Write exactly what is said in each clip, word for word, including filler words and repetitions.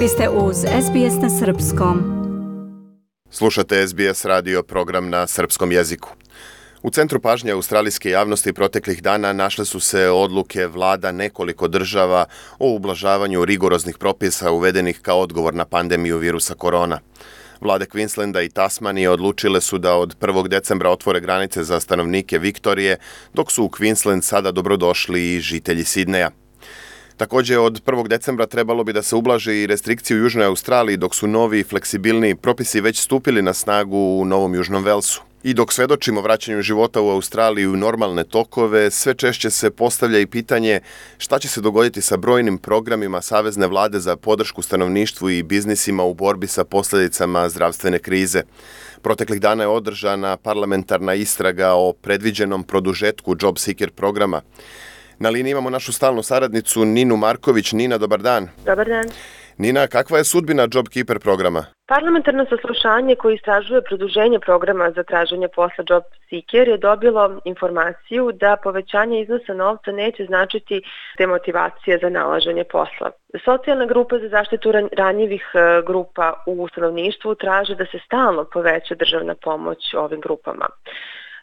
Vi ste uz S B S na srpskom. Slušate S B S radio program na srpskom jeziku. U centru pažnje australijske javnosti proteklih dana našle su se odluke vlada nekoliko država o ublažavanju rigoroznih propisa uvedenih kao odgovor na pandemiju virusa korona. Vlade Queenslanda i Tasmanije odlučile su da od prvog decembra otvore granice za stanovnike Viktorije, dok su u Queensland sada dobrodošli i žitelji Sidneja. Također, od prvog decembra trebalo bi da se ublaže i restrikcije u Južnoj Australiji, dok su novi i fleksibilniji propisi već stupili na snagu u Novom Južnom Velsu. I dok svedočimo vraćanju života u Australiji u normalne tokove, sve češće se postavlja i pitanje šta će se dogoditi sa brojnim programima Savezne vlade za podršku stanovništvu i biznisima u borbi sa posljedicama zdravstvene krize. Proteklih dana je održana parlamentarna istraga o predviđenom produžetku Job Seeker programa. Na liniji imamo našu stalnu saradnicu Ninu Marković. Nina, dobar dan. Dobar dan. Nina, kakva je sudbina JobKeeper programa? Parlamentarno saslušanje koje istražuje produženje programa za traženje posla Job Seeker je dobilo informaciju da povećanje iznosa novca neće značiti demotivacije za nalaženje posla. Socijalna grupa za zaštitu ranjivih grupa u stanovništvu traže da se stalno poveća državna pomoć ovim grupama.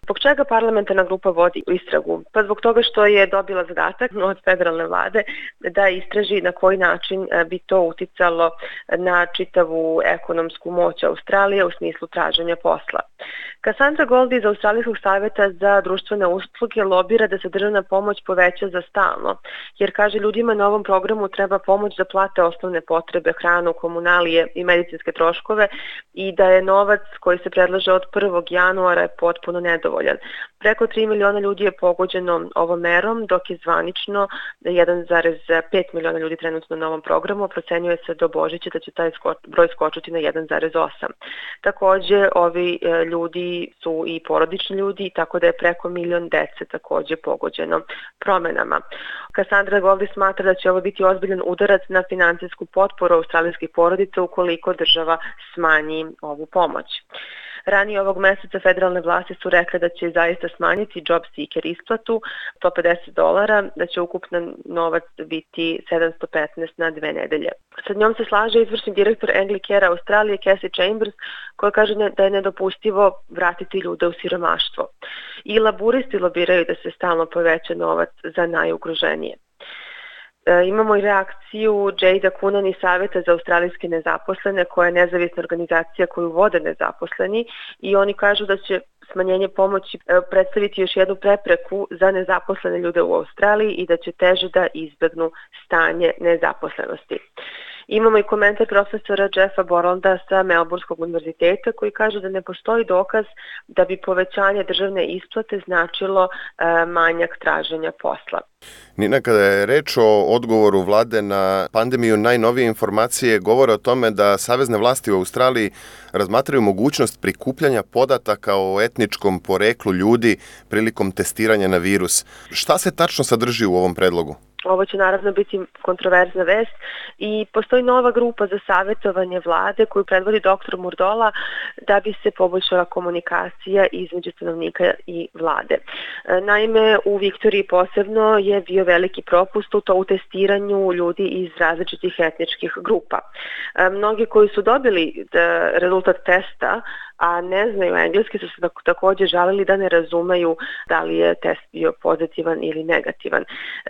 Zbog čega parlamentarna grupa vodi istragu? Pa zbog toga što je dobila zadatak od federalne vlade da istraži na koji način bi to uticalo na čitavu ekonomsku moć Australije u smislu traženja posla. Cassandra Goldie iz Australijskog savjeta za društvene usluge lobira da se državna pomoć poveća za stalno, jer kaže ljudima na ovom programu treba pomoć da plate osnovne potrebe, hranu, komunalije i medicinske troškove i da je novac koji se predlaže od prvog januara potpuno nedovoljan. Preko tri miliona ljudi je pogođeno ovom merom, dok je zvanično jedan zarez pet miliona ljudi trenutno na ovom programu, procenjuje se do Božića da će taj broj skočiti na jedan zarez osam. Također, ovi ljudi su i porodični ljudi, tako da je preko milion dece također pogođeno promenama. Cassandra Goldie smatra da će ovo biti ozbiljan udarac na financijsku potporu australijskih porodica ukoliko država smanji ovu pomoć. Ranije ovog mjeseca federalne vlasti su rekle da će zaista smanjiti Job Seeker isplatu sto pedeset dolara, da će ukupan novac biti sedamsto petnaest na dve nedelje. Sa njom se slaže izvršni direktor Anglicare Australije Cassie Chambers, koja kaže da je nedopustivo vratiti ljude u siromaštvo. I laburisti lobiraju da se stalno poveća novac za najugroženije. Imamo i reakciju Jada Coonan iz Savjeta za australijske nezaposlene, koja je nezavisna organizacija koju vode nezaposleni, i oni kažu da će smanjenje pomoći predstaviti još jednu prepreku za nezaposlene ljude u Australiji i da će teže da izbjegnu stanje nezaposlenosti. Imamo i komentar profesora Jeffa Borlanda sa Melbourneskog univerziteta koji kaže da ne postoji dokaz da bi povećanje državne isplate značilo e, manjak traženja posla. Nina, kada je reč o odgovoru vlade na pandemiju, najnovije informacije govore o tome da savezne vlasti u Australiji razmatraju mogućnost prikupljanja podataka o etničkom poreklu ljudi prilikom testiranja na virus. Šta se tačno sadrži u ovom predlogu? Ovo će naravno biti kontroverzna vest i postoji nova grupa za savjetovanje vlade koju predvodi doktor Murdola da bi se poboljšala komunikacija između stanovnika i vlade. Naime, u Viktoriji posebno je bio veliki propust u to u testiranju ljudi iz različitih etničkih grupa. Mnogi koji su dobili rezultat testa, a ne znaju engleski, su se također žalili da ne razumeju da li je test bio pozitivan ili negativan.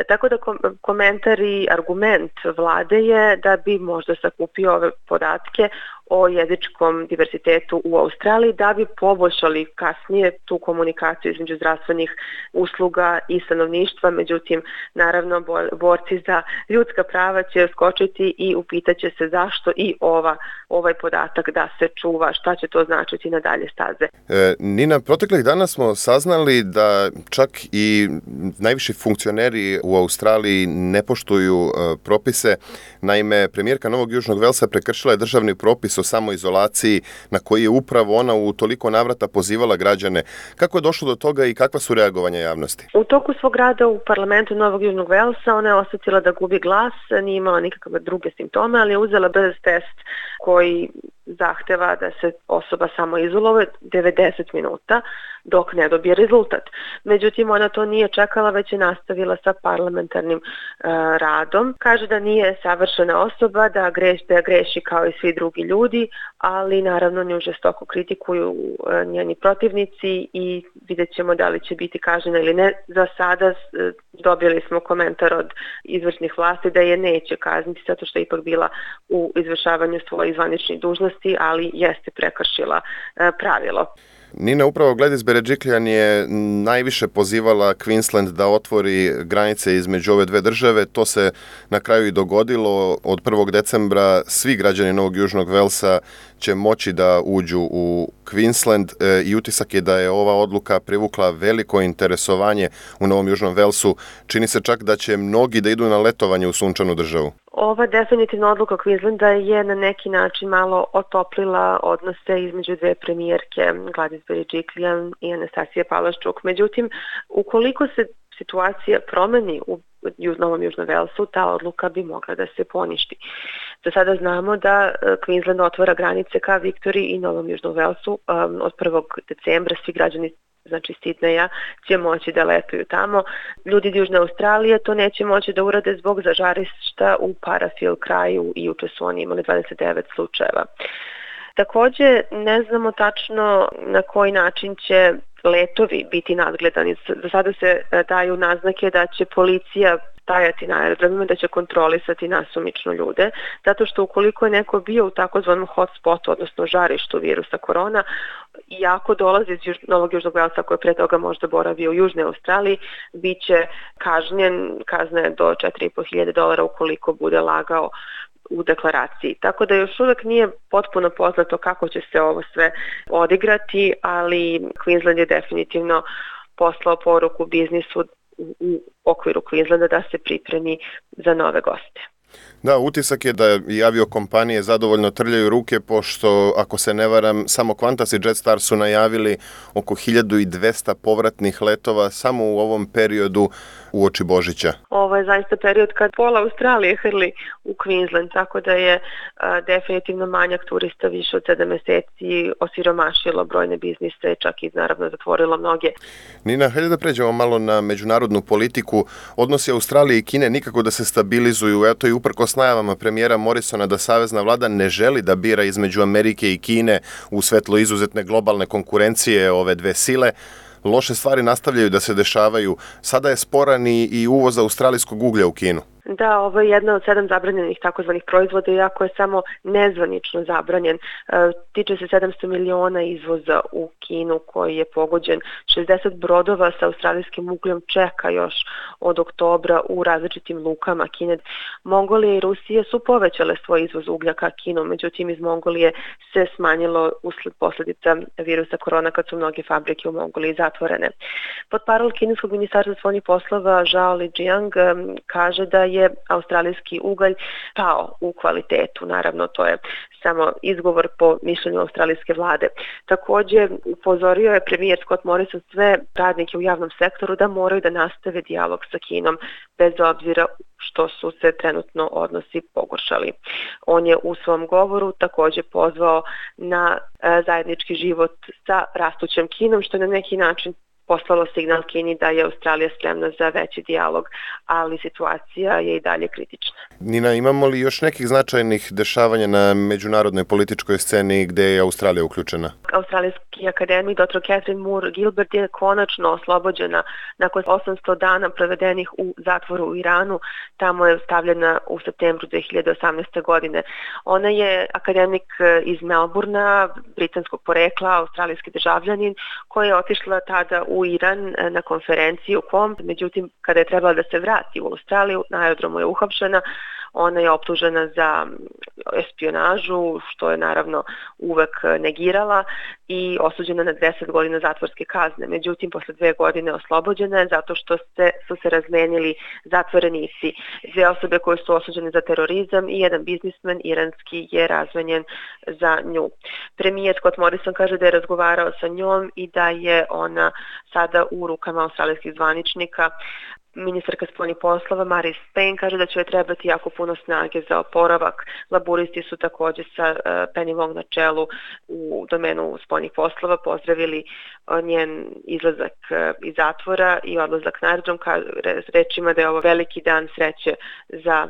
Tako da komentar i argument vlade je da bi možda sakupio ove podatke o jezičkom diversitetu u Australiji da bi poboljšali kasnije tu komunikaciju između zdravstvenih usluga i stanovništva. Međutim, naravno, borci za ljudska prava će skočiti i upitaće se zašto i ova, ovaj podatak da se čuva, šta će to značiti na dalje staze. E, Nina, proteklih dana smo saznali da čak i najviši funkcioneri u Australiji ne poštuju e, propise. Naime, premijerka Novog Južnog Velsa prekršila je državni propis o samoizolaciji na koji je upravo ona u toliko navrata pozivala građane. Kako je došlo do toga i kakva su reagovanja javnosti? U toku svog rada u parlamentu Novog Južnog Velsa ona je osjetila da gubi glas, nije imala nikakve druge simptome, ali je uzela brz test koji zahteva da se osoba samo izoluje devedeset minuta dok ne dobije rezultat. Međutim, ona to nije čekala, već je nastavila sa parlamentarnim uh, radom. Kaže da nije savršena osoba, da greši, da greši kao i svi drugi ljudi, ali naravno nju žestoko kritikuju uh, njeni protivnici i vidjet ćemo da li će biti kažnjena ili ne. Za sada uh, dobili smo komentar od izvršnih vlasti da je neće kazniti zato što je ipak bila u izvršavanju svojih zvaničnih dužnosti, ali jeste prekršila uh, pravilo. Nina, upravo Gladys Berejiklian je najviše pozivala Queensland da otvori granice između ove dve države. To se na kraju i dogodilo. Od prvog decembra svi građani Novog Južnog Velsa će moći da uđu u Queensland e, i utisak je da je ova odluka privukla veliko interesovanje u Novom Južnom Velsu. Čini se čak da će mnogi da idu na letovanje u sunčanu državu. Ova definitivna odluka Queenslanda je na neki način malo otoplila odnose između dve premijerke, Gladys Berejiklian i Anastasije Palaszczuk. Međutim, ukoliko se situacija promeni u Novom Južnom Velsu, ta odluka bi mogla da se poništi. Do sada znamo da Queensland otvara granice ka Viktoriji i Novom Južnom Velsu um, od prvog decembra. Svi građani, znači Sidneja, će moći da letuju tamo. Ljudi iz Južne Australije to neće moći da urade zbog zažarišta u Parafield kraju i juče su oni imali dvadeset devet slučajeva. Takođe, ne znamo tačno na koji način će letovi biti nadgledani. Do sada se daju naznake da će policija stajati na aerodromima, da će kontrolisati nasumično ljude, zato što ukoliko je neko bio u takozvanom hotspotu, odnosno žarištu virusa korona, i ako dolazi iz Novog Južnog Velsa koji je pre toga možda boravio u Južnoj Australiji, bit će kažnjen, kazna je do četiri i po hiljade dolara ukoliko bude lagao u deklaraciji. Tako da još uvek nije potpuno poznato kako će se ovo sve odigrati, ali Queensland je definitivno poslao poruku biznisu u okviru Queenslanda da se pripremi za nove goste. Da, utisak je da i aviokompanije zadovoljno trljaju ruke, pošto, ako se ne varam, samo Qantas i Jetstar su najavili oko hiljadu dvesta povratnih letova samo u ovom periodu uoči Božića. Ovo je zaista period kad pola Australije hrli u Queensland, tako da je a, definitivno manjak turista više od sedam meseci osiromašilo brojne biznise, čak i naravno zatvorilo mnoge. Nina, hajde da pređemo malo na međunarodnu politiku. Odnosi Australije i Kine nikako da se stabilizuju, eto i uprkos najavama premijera Morrisona da savezna vlada ne želi da bira između Amerike i Kine u svetlu izuzetne globalne konkurencije ove dve sile. Loše stvari nastavljaju da se dešavaju. Sada je sporan i uvoz australijskog uglja u Kinu. Da, ovo je jedna od sedam zabranjenih takozvanih proizvoda, iako je samo nezvanično zabranjen. E, tiče se sedamsto miliona izvoza u Kinu koji je pogođen. šezdeset brodova sa australijskim ugljem čeka još od oktobra u različitim lukama Kine. Mongolija i Rusija su povećale svoj izvoz uglja ka Kinu, međutim iz Mongolije se smanjilo usled posljedica virusa korona kad su mnoge fabrike u Mongoliji zatvorene. Potparol kineskog ministarstva spoljnih poslova Zhao Lijiang kaže da je je australijski ugalj pao u kvalitetu. Naravno, to je samo izgovor po mišljenju australijske vlade. Također, upozorio je premijer Scott Morrison sve radnike u javnom sektoru da moraju da nastave dijalog sa Kinom, bez obzira što su se trenutno odnosi pogoršali. On je u svom govoru također pozvao na zajednički život sa rastućem Kinom, što je na neki način poslalo signal Kini da je Australija spremna za veći dijalog, ali situacija je i dalje kritična. Nina, imamo li još nekih značajnih dešavanja na međunarodnoj političkoj sceni gde je Australija uključena? Australijski akademik doktor Catherine Moore Gilbert je konačno oslobođena nakon osamsto dana provedenih u zatvoru u Iranu. Tamo je stavljena u septembru dve hiljade osamnaeste. godine. Ona je akademik iz Melbourna, britanskog porekla, australijski državljanin, koja je otišla tada u u Iran na konferenciju kom, međutim kada je trebala da se vrati u Australiju, na aerodromu je uhapšena. Ona je optužena za espionažu, što je naravno uvek negirala, i osuđena na deset godina zatvorske kazne. Međutim, posle dve godine oslobođena je zato što se, su se razmenili zatvorenici. Dve osobe koje su osuđene za terorizam i jedan biznismen iranski je razmenjen za nju. Premijer Scott Morrison kaže da je razgovarao sa njom i da je ona sada u rukama australijskih zvaničnika. Ministarka spoljnih poslova Maris Payne kaže da će joj trebati jako puno snage za oporavak. Laburisti su također sa Penny Wong na čelu u domenu spoljnih poslova pozdravili njen izlazak iz zatvora i odlazak na aerodrom, rečima da je ovo veliki dan sreće za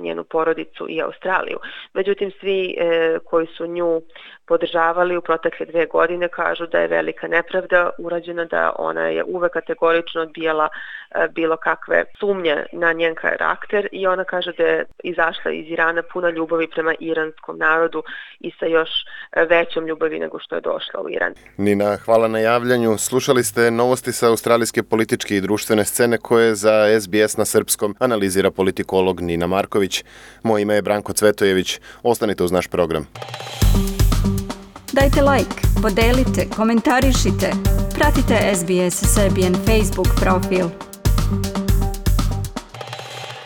njenu porodicu i Australiju. Međutim, svi e, koji su nju podržavali u protekle dve godine kažu da je velika nepravda urađena, da ona je uvek kategorično odbijala e, bilo kakve sumnje na njen karakter i ona kaže da je izašla iz Irana puna ljubavi prema iranskom narodu i sa još većom ljubavi nego što je došla u Iran. Nina, hvala na javljanju. Slušali ste novosti sa australijske političke i društvene scene koje za S B S na srpskom analizira politikolog Nina Marković. Moje ime je Branko Cvetojević. Ostanite uz naš program. Dajte like, podelite, komentarišite. Pratite S B S Serbian Facebook profil.